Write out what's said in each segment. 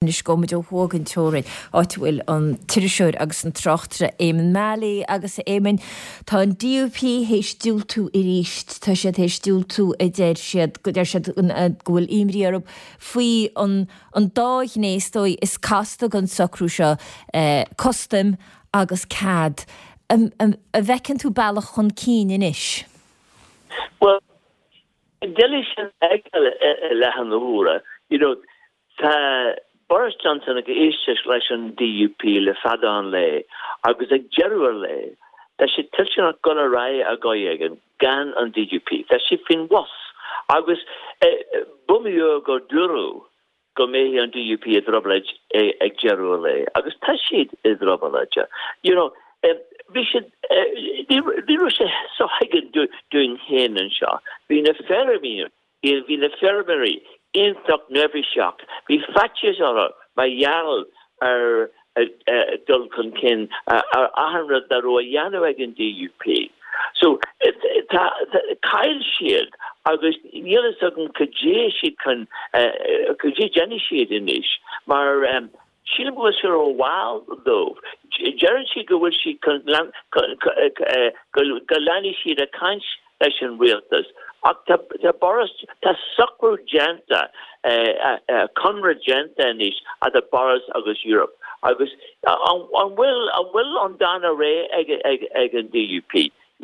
Anois gabhfaidh muid ó thuaidh den teorainn, áit a bhfuil an t-iriseoir agus an tráchtaire Éamonn Mallie. Agus a Éamoinn, tá an DUP théis diúltú arís. Tá siad théis diúltú, a deir siad, go deir siad go bhfuil imní orthu faoi an an dá ghné is dóigh is casta den socrú seo, custaim agus cead. An bhfeiceann tú bealach chun cinn anois? Bhuel, doiligh sin a fheiceáil i láthair na huaire. You know, Tá Boris Johnson ag éisteacht leis an DUP le fada an lae agus ag deireadh an lae tá sé toilteanach dul ar aghaidh ar dhóigh éigin gan an DUP. Tá sé faoin bhus agus b'iomaí uair gur dúradh go mbeidh an DUP i dtrioblóid ag deireadh an lae agus tá siad i dtrioblóid. You know, bhí siad, ní raibh sé sothuigthe dúinn féin anseo. Bhí na feirmeoirí Bhí na feirmeoirí iontach neirbhíseach. Bhí faitíos orthu mar gheall ar dul chun cinn ar achan rud dá raibh á dhéanamh ag an DUP. So, tá, chaill siad agus níl fhios agam cad é siad chun, cad é déanfaidh siad anois mar sílim go bhfuil sé rómhall dóibh. Deireann siad go bhfuil siad chun, go leanfaidh siad ag caint leis an rialtas ach tá Boris, tá socrú déanta, conradh déanta anois idir Boris agus Europe agus an bhfuil, an bhfuil an dán réidh ag an DUP?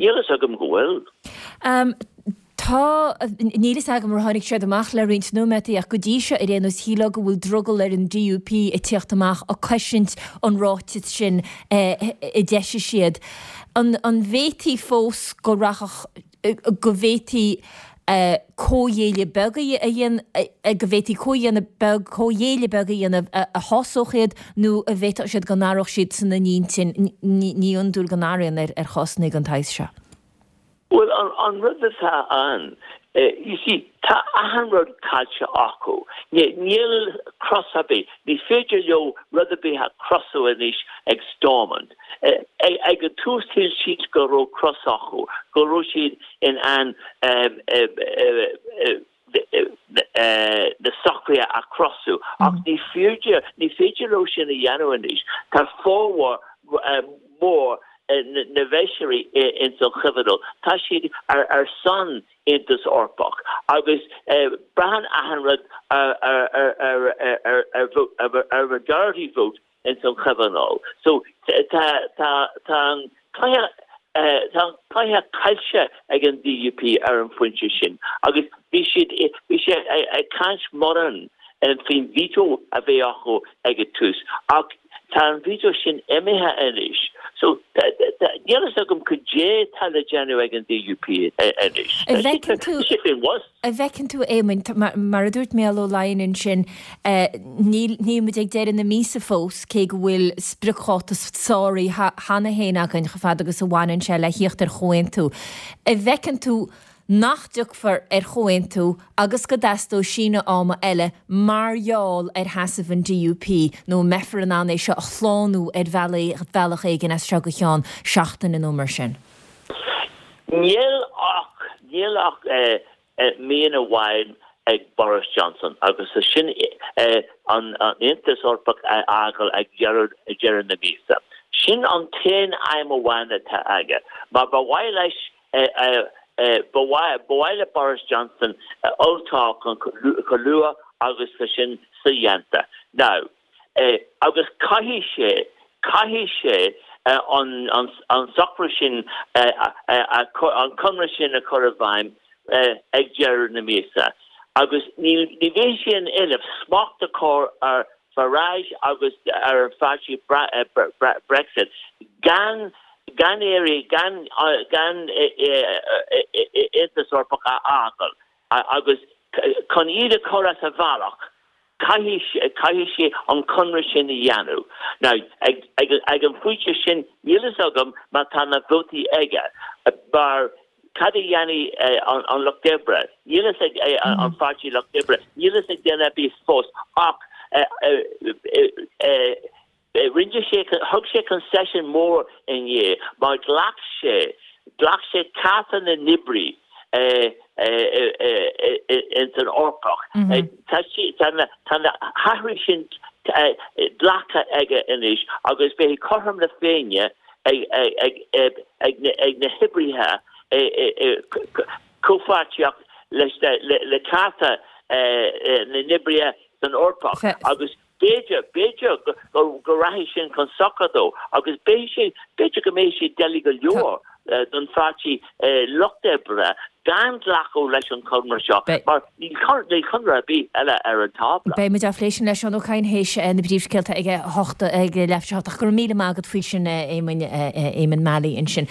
Níl fhios agam go bhfuil. Tá, níl fhios agam ar tháinig siad amach le roinnt nóiméadaí ach go dtí seo ar aon nós shílfeá go bhfuil drogall ar an DUP ag tíocht amach ag cosaint an ráiteas sin a d'eisigh siad. An bhféadfaí fós go rachadh, go bhféadfaí comhghéilleadh beag a dhéanamh, go bhféadfaí comhdhéanamh beag, comhghéilleadh beag a dhéanamh a shásódh iad nó an bhféadfadh siad go n-athródh siad san a n-intinn, ní hiondúil go n-athraíonn ar chásanna den tsaghas seo. Bhuel, an rud atá ann, you see, tá achan rud caillte acu. Níl cros ar bith, ní féidir leo rud ar bith a chrosú anois ag Stormont. Ag an tús shíl siad go raibh cros acu, go raibh siad in ann na socruithe a chrosú ach ní féidir, ní féidir leo sin a dhéanamh anois. Tá formhór mór na bhfeisirí ins an Chomhthionól, tá siad ar son Aontas Eorpach agus braitheann achan rud ar ar majority vote ins an Chomhthionól. So tá tá tá an cluiche tá an cluiche caillte ag an DUP ar an phointe sin agus bhí siad bhí sé ag caint mórán faoin veto a bheith acu ag an tús ach tá an veto sin imithe anois. So níl fhios agam cad é tá le déanamh ag an DUP anois. An bhfeiceann tú Tá sé faoin bhus. An bhfeiceann tú, Éamoinn, mar a dúirt Mícheál Ó Laighin ansin, níl níl muid ag deireadh na míosa fós, cé go bhfuil spriocdháta sáraithe cheana féin againn chomh fada agus a bhaineann sé le thíocht ar chomhaontú. An bhfeiceann tú nach dtiocfar ar chomhaontú agus go dteastóidh síneadh ama eile mar gheall ar sheasamh an DUP nó an mbeifear in ann é seo a shlánú ar bhealach éigin as seo go ceann seachtaine nó mar sin? Níl ach, níl ach mian amháin ag Boris Johnson agus sin an Aontas Eorpach a fhágáil ag deireadh na míosa. Sin an t-aon aidhm amháin atá aige. Mar ba mhaith leis, ba mhaith le Boris Johnson olltoghchán chomh luath agus tá sin sodhéanta. Now. Agus caithfidh sé, caithfidh sé an socrú sin, an conradh sin a chur i bhfeidhm ag deireadh na míosa. Agus ní bheidh sé in innimh smacht a chur ar Farage agus ar an pháirtí Brexit gan gan éirí, gan gan Aontas Eorpach a fhágáil. Agus chun iad a chur as a bhealach, caithfidh, caithfidh sé an conradh sin a dhéanamh. Now, ag, ag, ag an phointe sin, níl fhios agam má tá na vótaí aige, mar cad a dhéanfaidh an, an Lucht Oibre? Níl fhios ag, an Pháirtí Lucht Oibre, níl fhios ag duine ar bith fós, ach Rinne sé, thug sé concession mór inné mar ghlac sé, ghlac sé cárta na n-oibrí. Ins an Eorpach. Tá na hathruithe sin glactha aige anois agus beidh cothrom na Féinne ag na hoibrithe i comhpháirtíocht le cearta na n-oibrithe san Eorpach agus B'fhéidir, b'fhéidir go rachaidh sin chun sochair dó agus beidh sé, b'fhéidir go mbeidh sé doiligh go leor don pháirtí lucht oibre gan glacadh leis an chonradh seo mar níl conradh ar bith eile ar an tábla. Beidh muid á phlé sin le Seán Ó Cadhain théis na bpríomhscéalta ag a hocht, ag leathuair tar éis a hocht ach go raibh míle maith agat faoi sin Éamoinn, Éamonn Mallie ansin.